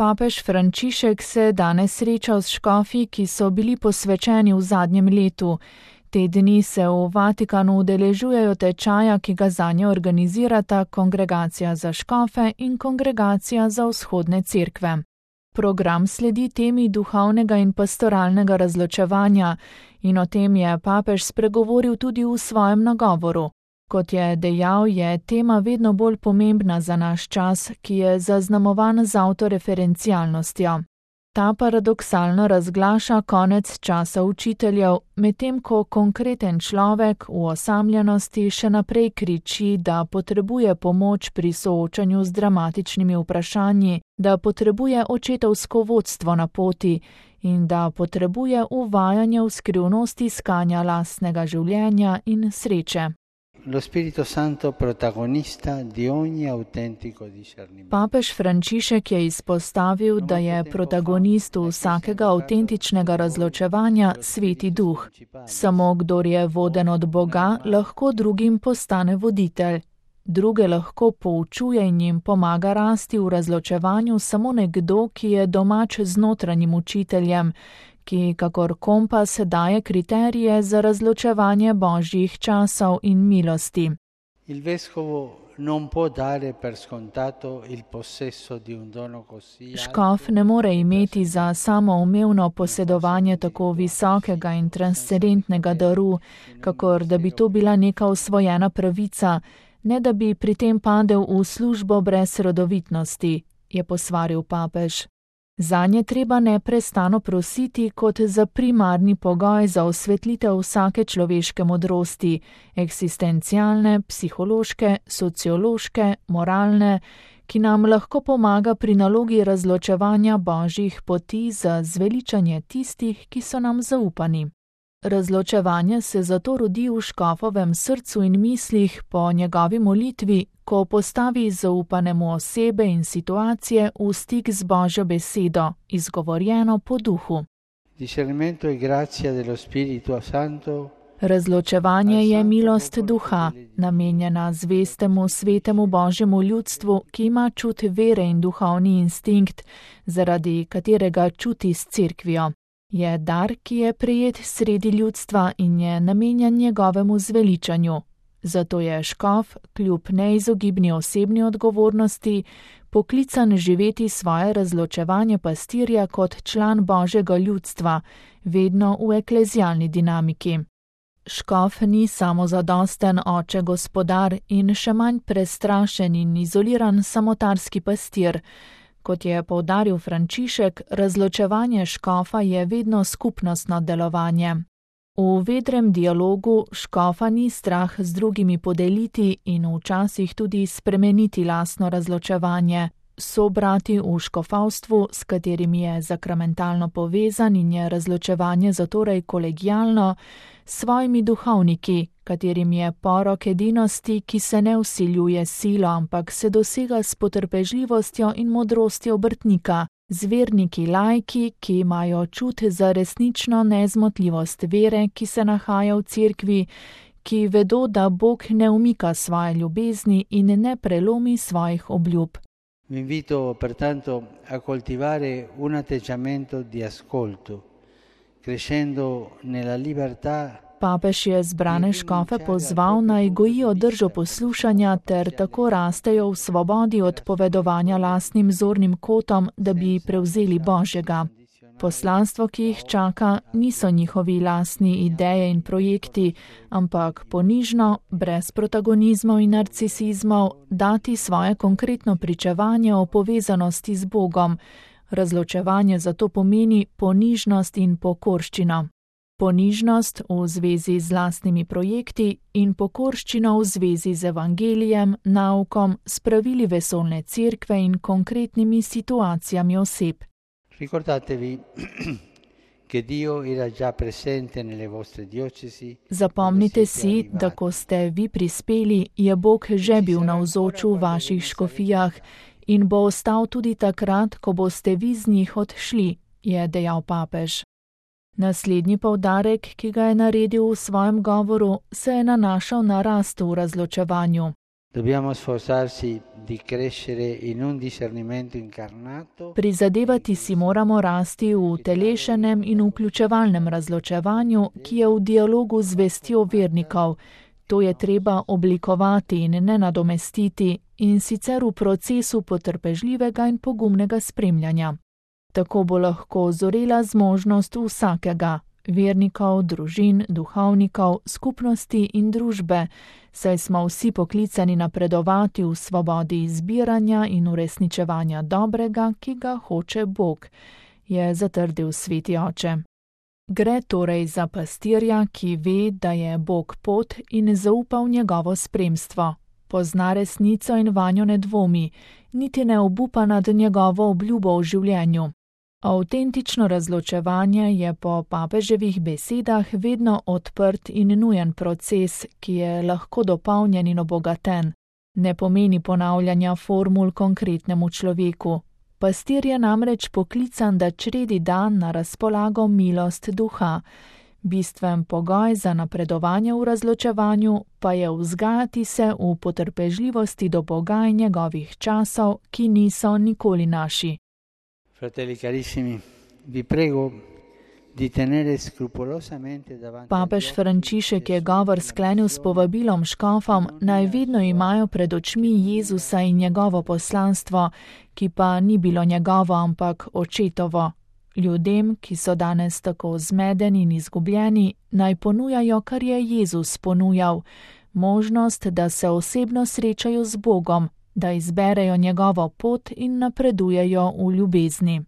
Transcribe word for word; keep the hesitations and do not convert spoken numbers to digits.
Papež Frančišek se je danes srečal s škofi, ki so bili posvečeni v zadnjem letu. Te dni se v Vatikanu udeležujejo tečaja, ki ga zanje organizirata Kongregacija za škofe in Kongregacija za vzhodne cerkve. Program sledi temi duhovnega in pastoralnega razločevanja in o tem je papež spregovoril tudi v svojem nagovoru. Kot je dejal, je tema vedno bolj pomembna za naš čas, ki je zaznamovan z avtoreferencialnostjo. Ta paradoksalno razglaša konec časa učiteljev, medtem ko konkreten človek v osamljenosti še naprej kriči, da potrebuje pomoč pri soočanju z dramatičnimi vprašanji, da potrebuje očetovsko vodstvo na poti in da potrebuje uvajanje v skrivnost iskanja lastnega življenja in sreče. Lo Spirito Santo protagonista di ogni autentico discernimento. Papež Frančišek je izpostavil, da je protagonist vsakega avtentičnega razločevanja Sveti Duh. Samo kdor je voden od Boga, lahko drugim postane voditelj. Druge lahko poučuje in jim pomaga rasti v razločevanju samo nekdo, ki je domač z notranjim učiteljem, ki kakor kompas daje kriterije za razločevanje božjih časov in milosti. Il vescovo non può dare per scontato il possesso di un dono così alto. Škof ne more imeti za samoumevno posedovanje tako visokega in transcendentnega daru, kakor da bi to bila neka osvojena pravica, ne da bi pri tem padel v službo brez rodovitnosti, je posvaril papež. Zanje treba neprestano prositi kot za primarni pogoj za osvetlitev vsake človeške modrosti, eksistencialne, psihološke, sociološke, moralne, ki nam lahko pomaga pri nalogi razločevanja božjih poti za zveličanje tistih, ki so nam zaupani. Razločevanje se zato rodi v škofovem srcu in mislih po njegovi molitvi, ko postavi zaupanemu osebe in situacije v stik z Božjo besedo, izgovorjeno po duhu. Discernimento e grazia dello Spirito Santo. Razločevanje je milost duha, namenjena zvestemu svetemu Božjemu ljudstvu, ki ima čut vere in duhovni instinkt, zaradi katerega čuti s cerkvijo. Je dar, ki je prejet sredi ljudstva in je namenjen njegovemu zveličanju. Zato je škof, kljub neizogibni osebni odgovornosti, poklican živeti svoje razločevanje pastirja kot član Božjega ljudstva, vedno v eklezialni dinamiki. Škof ni samozadosten oče gospodar in še manj prestrašen in izoliran samotarski pastir. Kot je poudaril Frančišek, razločevanje škofa je vedno skupnostno delovanje. V vedrem dialogu škofa ni strah z drugimi podeliti in včasih tudi spremeniti lastno razločevanje. Sobrati v škofavstvu, s katerimi je zakramentalno povezan in je razločevanje zatorej kolegialno, s svojimi duhovniki, katerim je porok edinosti, ki se ne vsiljuje silo, ampak se dosega s potrpežljivostjo in modrostjo obrtnika, z verniki lajki, ki imajo čut za resnično nezmotljivost vere, ki se nahaja v cerkvi, ki vedo, da Bog ne umika svoje ljubezni in ne prelomi svojih obljub. Vi invito pertanto a coltivare un atteggiamento di ascolto, crescendo nella libertà. Papež je zbrane škofe pozval, naj gojijo držo poslušanja ter tako rastejo v svobodi od povedovanja lastnim zornim kotom, da bi prevzeli Božjega. Poslanstvo, ki jih čaka, niso njihovi lastni ideje in projekti, ampak ponižno, brez protagonizmov in narcisizmov, dati svoje konkretno pričevanje o povezanosti z Bogom. Razločevanje zato pomeni ponižnost in pokorščino. Ponižnost v zvezi z lastnimi projekti in pokorščino v zvezi z evangelijem, naukom, s pravili vesoljne cerkve in konkretnimi situacijami oseb. Ricordatevi che Dio era già presente nelle vostre diocesi. Zapomnite si, da ko ste vi prispeli, je Bog že bil navzoč v vaših škofijah in bo ostal tudi takrat, ko boste vi z njih odšli, je dejal papež. Naslednji poudarek, ki ga je naredil v svojem govoru, se je nanašal na rast v razločevanju. Dobbiamo sforzarsi di crescere in un discernimento incarnato. Prizadevati si moramo rasti v telešenem in vključevalnem razločevanju, ki je v dialogu z vestjo vernikov. To je treba oblikovati in ne nadomestiti, in sicer v procesu potrpežljivega in pogumnega spremljanja. Tako bo lahko zorela zmožnost vsakega, vernikov, družin, duhovnikov, skupnosti in družbe, saj smo vsi poklicani napredovati v svobodi izbiranja in uresničevanja dobrega, ki ga hoče Bog, je zatrdil sveti oče. Gre torej za pastirja, ki ve, da je Bog pot in zaupa v njegovo spremstvo. Pozna resnico in vanjo ne dvomi, niti ne obupa nad njegovo obljubo v življenju. Avtentično razločevanje je po papeževih besedah vedno odprt in nujen proces, ki je lahko dopolnjen in obogaten. Ne pomeni ponavljanja formul konkretnemu človeku. Pastir je namreč poklican, da čredi dan na razpolago milost duha. Bistven pogoj za napredovanje v razločevanju pa je vzgajati se v potrpežljivosti do Boga in njegovih časov, ki niso nikoli naši. Fratelli carissimi, vi prego di tenere scrupolosamente davanti. Papež Frančišek je govor sklenil s povabilom škofom, naj vedno imajo pred očmi Jezusa in njegovo poslanstvo, ki pa ni bilo njegovo, ampak očetovo. Ljudem, ki so danes tako zmedeni in izgubljeni, naj ponujajo, kar je Jezus ponujal, možnost, da se osebno srečajo z Bogom, da izberejo njegovo pot in napredujejo v ljubezni.